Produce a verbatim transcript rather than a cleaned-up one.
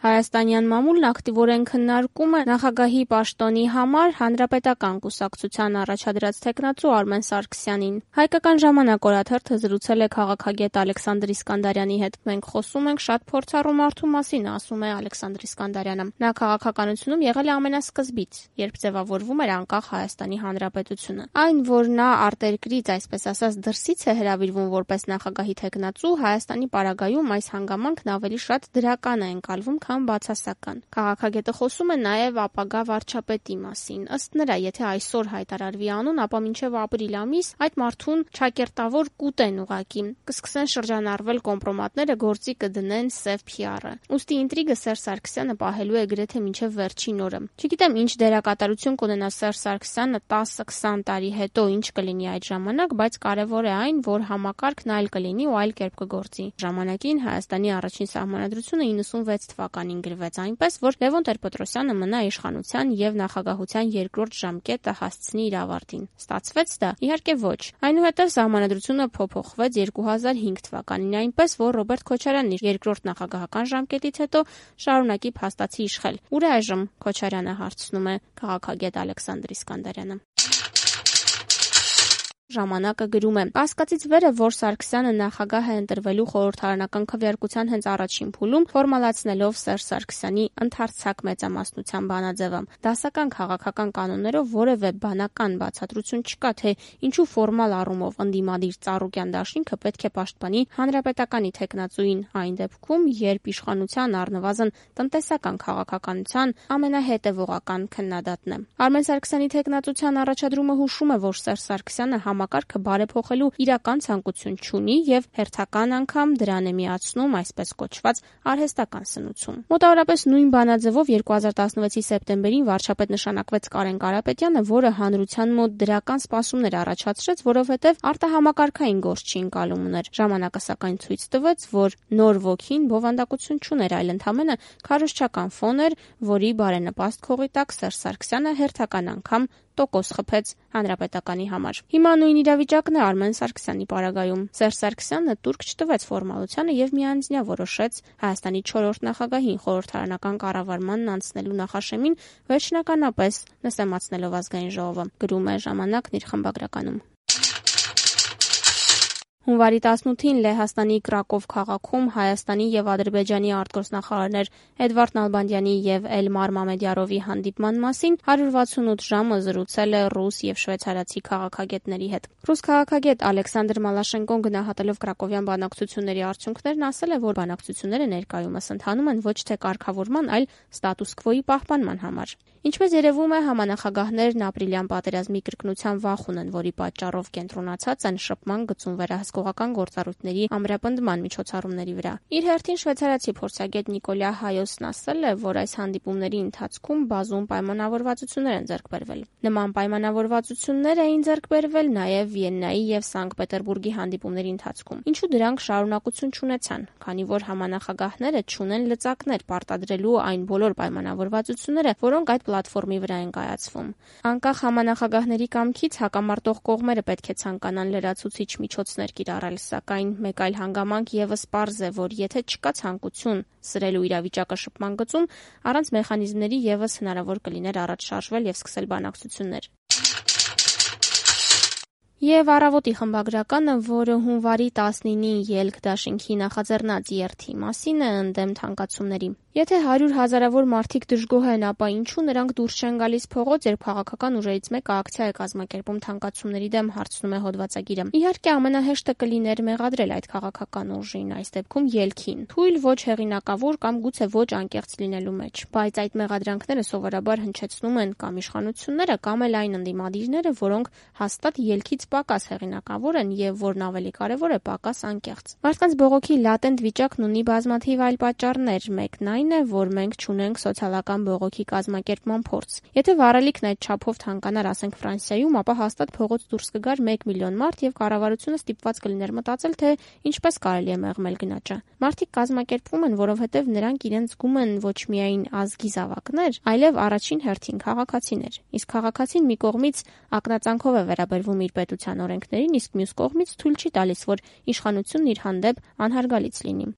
Հայաստանյան մամուլն ակտիվորեն քննարկում է նախագահի պաշտոնի համար Հանրապետական կուսակցության առաջադրած թեկնածու Արմեն Սարգսյանին։ Հայկական ժամանակ օրաթերթը զրուցել է քաղաքագետ Ալեքսանդր Իսկանդարյանի հետ։ Մենք խոսում ենք շատ փորձառու մարդու մասին, ասում է Ալեքսանդր Իսկանդարյանը։ Նա քաղաքականությունում եղել է ամենասկզբից, երբ ձևավորվում էր անկախ Հայաստանի Հանրապետությունը։ Այն, որ նա արտերկրից, այսպես ասած, դրսից է հրավիրվում որպես նախագահի թեկնածու, Հայաստանի պարագայում այս հանգամանքն ավելի շատ դրական է ընկալվում, քան բացասական։ Քաղաքագետը խոսում է նաև ապագա վարչապետի մասին։ Ըստ նրա, եթե այսօր հայտարարվի անուն, ապա մինչև ապրիլ ամիս այդ մարդուն չակերտավոր կուտեն ուղակի։ Կսկսեն շրջանառվել կոմպրոմատները, գործի կդնեն սև փի ար-ը։ Ուստի ինտրիգը Սերժ Սարգսյանը պահելու է գրեթե մինչև վերջին օրը։ Չգիտեմ, ինչ դերակատարություն կունենա Սերժ Սարգսյանը տասը-քսան տարի հետո, ինչ կլինի այդ ժամանակ, բայց կարևոր է այն, որ համակարգն այլ կլինի ու այլ կերպ կգործի։ Ժամանակին Հայաստանի առաջին սահմանադրությունը իննսունվեց թվականին գրվեց այնպես, որ Լևոն Տեր-Պետրոսյանը մնա իշխանության եւ նախագահության երկրորդ ժամկետը հասցնի իր ավարտին։ Ստացվեց դա։ Իհարկե ոչ։ Այնուհետև սահմանադրությունը փոփոխվեց երկու հազար հինգ թվականին այնպես, որ Ռոբերտ Քոչարյանն իր երկրորդ նախագահական ժամկետից հետո շարունակի փաստացի իշխել։ Ուր է այժմ Քոչարյանը, հարցնում է քաղաքագետ Ալեքսանդր Իսկանդարյանը։ Ժամանակը գրում է. Կասկածից վեր է, որ Սարգսյանը նախագահ է ընտրվելու խորհրդարանական քվեարկության հենց առաջին փուլում, ֆորմալացնելով Սերժ Սարգսյանի ընդարձակ մեծամասնության բանաձևը։ Դասական քաղաքական կանոններով որևէ բանական բացատրություն չկա, թե ինչու ֆորմալ առումով ընդդիմադիր Ծառուկյան դաշինքը պետք է պաշտպանի Հանրապետականի թեկնածուին այն դեպքում, երբ իշխանության առնվազն տնտեսական քաղաքականության ամենահետևողական քննադատն է։ Արմեն Սարգսյանի թեկնածության առաջադրումը հուշում է, որ Սերժ Սարգսյանը համակարգը բարեփոխելու իրական ցանկություն չունի եւ հերթական անգամ դրան է միացնում այսպես կոչված արհեստական սնուցում։ Մոտավորապես նույն բանաձևով երկու հազար տասնվեցի սեպտեմբերին վարչապետ նշանակվեց Կարեն Կարապետյանը, որը հանրության մոտ դրական սպասումներ առաջացրեց, որովհետեւ արտահամակարգային գործ չի ընկալում ուներ։ Ժամանակը սակայն ցույց տվեց, որ նոր ոգին բովանդակություն չուներ, այլ ընդամենը քարոզչական ֆոն էր, որի բարենպաստ քողի տակ Սերժ Սարգսյանը հերթական անգամ տոկոս խփեց Հանրապետականի համար։ Հիմա նույն իրավիճակն է Արմեն Սարգսյանի պարագայում։ Սերժ Սարգսյանը տուրք չտվեց ֆորմալությանը եւ միանձնյա որոշեց Հայաստանի չորրորդ նախագահին խորհրդարանական կառավարմանն անցնելու նախաշեմին վերջնականապես նսեմացնելով ազգային ժողովը, գրում է Ժամանակն իր խմբագրականում։ Հունվարի տասնութին Լեհաստանի Կրակով քաղաքում Հայաստանի եւ Ադրբեջանի արտգործնախարարներ Էդվարդ Նալբանդյանի եւ Էլմար Մամեդյարովի հանդիպման մասին հարյուր վաթսունութ ժամը զրուցել է ռուս եւ շվեյցարացի քաղաքագետների հետ։ Ռուս քաղաքագետ Ալեքսանդր Մալաշենկոն գնահատելով Կրակովյան բանակցությունների արդյունքներն ասել է, որ բանակցությունները ներկայումս ընթանում են ոչ թե կարգավորման, այլ ստատուս քվոյի պահպանման համար։ Ինչպես երևում է, համանախագահներն ապրիլյան պատերազմի կրկնության վախ ունեն, որի պատճառով կենտրոնացած են շփման գծում վերահսկողական գործառույթների ամրապնդման միջոցառումների վրա։ Իր հերթին շվեյցարացի փորձագետ Նիկոլա Հայոսն ասել է, որ այս հանդիպումների ընթացքում բազում պայմանավորվածություններ են ձեռք բերվել։ Նման պայմանավորվածություններ էին ձեռք բերվել նաև Վիեննայի եւ Սանկտ Պետերբուրգի հանդիպումների ընթացքում։ Ինչու դրանք շարունակություն չունեցան, քանի որ համանախագահները չունեն լծակներ պարտադրելու այն բոլոր պայմանավորվածությունները, որոնք այդ պլատֆորմի վրա են կայացվում։ Անկախ համանախագահների կամքից հակամարտող կողմերը պետք է ցանկանան լրացուցիչ միջոցներ կիրառել, սակայն մեկ այլ հանգամանք եւս պարզ է, որ եթե չկա ցանկություն սրելու իրավիճակը շփման գծում, առանց մեխանիզմների եւս հնարավոր կլիներ առաջ շարժվել եւ սկսել բանակցություններ։ Եվ առավոտի խմբագրականը, որը հունվարի տասնինին ելք դաշինքի նախաձեռնած երթի մասին է, ընդդեմ թանկացումների։ Եթե հարյուր հազարավոր մարդիկ դժգոհ են, ապա ինչու նրանք դուրս չեն գալիս փողոց, երբ քաղաքական ուժերից մեկը ակցիա է կազմակերպում թանկացումների դեմ, հարցնում է հոդվածագիրը։ Իհարկե ամենահեշտը կլիներ մեղադրել այդ քաղաքական ուժին, այս դեպքում ելքին, թույլ ոչ հեղինակավոր կամ գուցե ոչ անկեղծ լինելու մեջ, բայց այդ մեղադրանքները սովորաբար հնչեցնում են կամ իշխանությունները, կամ էլ այն ընդդիմադիրները, որոնք հաստատ ելքից պակաս հեղինակավոր են եւ որն ավելի կարեւոր է պակաս անկեղծ։ Մարդկանց բողոքի լատենտ վիճակն ունի բազմաթիվ այլ պատճառներ, մեկն այն է, որ մենք չունենք սոցիալական բողոքի կազմակերպման փորձ։ Եթե վարելիքն այդ չափով թանկանար, ասենք Ֆրանսիայում, ապա հաստատ փողոց դուրս կգար մեկ միլիոն մարդ եւ կառավարությունը ստիպված կլիներ մտածել, թե ինչպես կարելի է մեղմել գնաճը։ Մարդիկ կազմակերպվում են, որովհետեւ նրանք իրենց զգում են ոչ միայն ազգի զավակներ, այլև առաջին հերթին քաղաքացիներ։ Իսկ քաղաքացին մի կողմից ակնածանքով է վերաբերվում իր պետության օրենքներին, իսկ մյուս կողմից թույլ չի տալիս, որ իշխանությունն իր հանդեպ անհարգալից լինի։